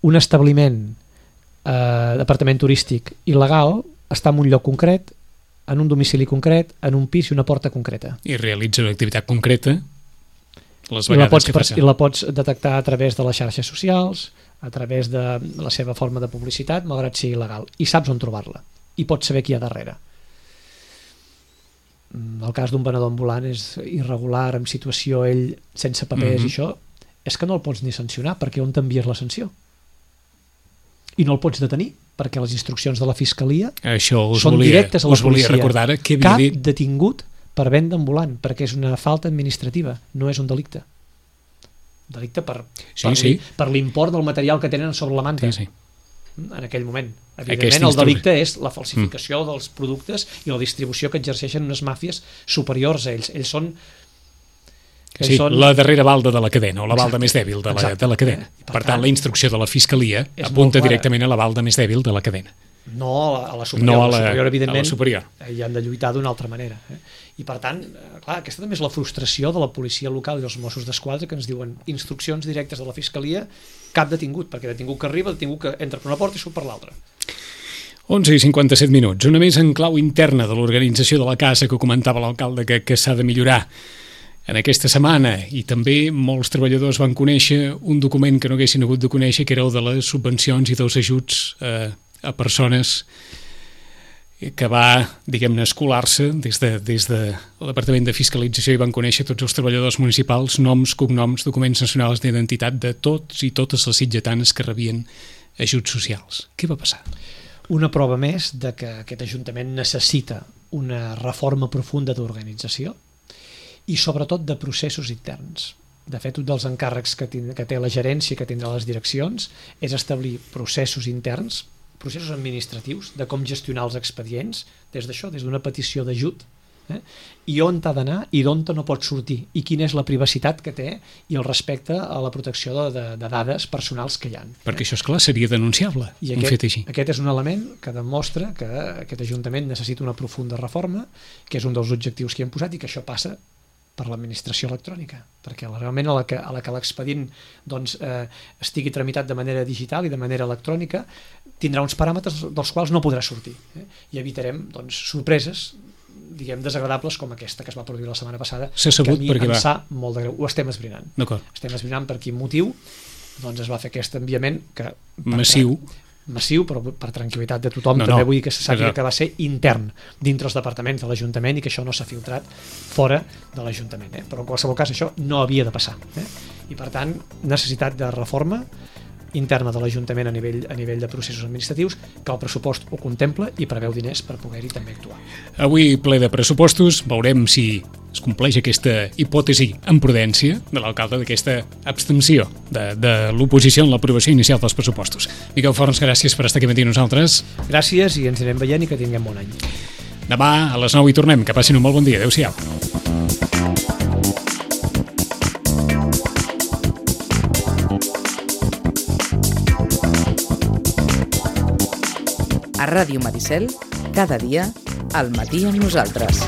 Un establiment, eh, d'apartament turístic il·legal, està en un lloc concret, en un domicili concret, en un pis i una porta concreta. I realitza una activitat concreta les I la, pots, que passa. I la pots detectar a través de les xarxes socials, a través de la seva forma de publicitat, malgrat sigui il·legal, i saps on trobar-la i pots saber qui hi ha darrere. El cas d'un venedor ambulant és irregular, en situació ell sense papers, mm-hmm. i això és que no el pots ni sancionar, perquè on t'envies la sanció? I no el pots detenir, perquè les instruccions de la Fiscalia això us són volia, directes a la us volia policia. Recordar que havia Cap dit... detingut per venda ambulant, perquè és una falta administrativa, no és un delicte. Delicte per, sí, per, sí. per l'import del material que tenen sobre la manta. Sí, sí. En aquell moment. Aquesta Evidentment, el delicte instru... és la falsificació mm. dels productes i la distribució que exerceixen unes màfies superiors a ells. Ells són... Sí, són... la darrera balda de la cadena, o la balda Exacte. més dèbil de la, de la cadena. Eh? Per, per tant, la instrucció de la Fiscalia apunta directament a la balda més dèbil de la cadena. No a la, a la superior, no a la, la superior, evidentment, a la superior. Hi han de lluitar d'una altra manera. Eh? I per tant, clar, aquesta també és la frustració de la policia local i dels Mossos d'Esquadra, que ens diuen instruccions directes de la Fiscalia, cap detingut, perquè detingut que arriba, detingut que entra per una porta i surt per l'altra. onze i cinquanta-set minuts, una més en clau interna de l'organització de la casa que comentava l'alcalde que, que s'ha de millorar. En aquesta setmana, i també molts treballadors van conèixer un document que no haguessin hagut de conèixer, que era el de les subvencions i dels ajuts eh, a persones que va, diguem-ne, escolar-se des de, des de Departament de Fiscalització i van conèixer tots els treballadors municipals, noms, cognoms, documents nacionals d'identitat de tots i totes les sitgetanes que rebien ajuts socials. Què va passar? Una prova més de que aquest Ajuntament necessita una reforma profunda d'organització i sobretot de processos interns. De fet, un dels encàrrecs que, tind- que té la gerència, que tindrà les direccions, és establir processos interns, processos administratius, de com gestionar els expedients, des d'això, des d'una petició d'ajut, eh? i on t'ha d'anar i d'on no pot sortir, i quina és la privacitat que té i el respecte a la protecció de, de, de dades personals que hi ha. Perquè això, és clar, seria denunciable, I un aquest, fet així. aquest és un element que demostra que aquest Ajuntament necessita una profunda reforma, que és un dels objectius que hi hem posat, i que això passa per l'administració electrònica, perquè realment a la que, a la que l'expedient doncs, eh, estigui tramitat de manera digital i de manera electrònica, tindrà uns paràmetres dels quals no podrà sortir, eh? i evitarem doncs, sorpreses diguem desagradables com aquesta que es va produir la setmana passada, S'ha sabut que a mi perquè em va. sap molt de greu, ho estem esbrinant. D'acord. Estem esbrinant per quin motiu doncs es va fer aquest enviament que Massiu. massiu, però per tranquil·litat de tothom, No, també no. vull que se sàpiga Exacte. que va ser intern dintre els departaments de l'Ajuntament i que això no s'ha filtrat fora de l'Ajuntament, eh? Però en qualsevol cas això no havia de passar, eh? I per tant necessitat de reforma interna de l'Ajuntament a nivell, a nivell de processos administratius, que el pressupost ho contempla i preveu diners per poder-hi també actuar. Avui ple de pressupostos, veurem si es compleix aquesta hipòtesi amb prudència de l'alcalde d'aquesta abstenció de, de l'oposició en l'aprovació inicial dels pressupostos. Miquel Forns, gràcies per estar aquí amb nosaltres. Gràcies i ens anirem veient i que tinguem bon any. Demà a les nou hi tornem. Que passin un molt bon dia. Adéu-siau. A Ràdio Maricel, cada dia, al matí amb nosaltres.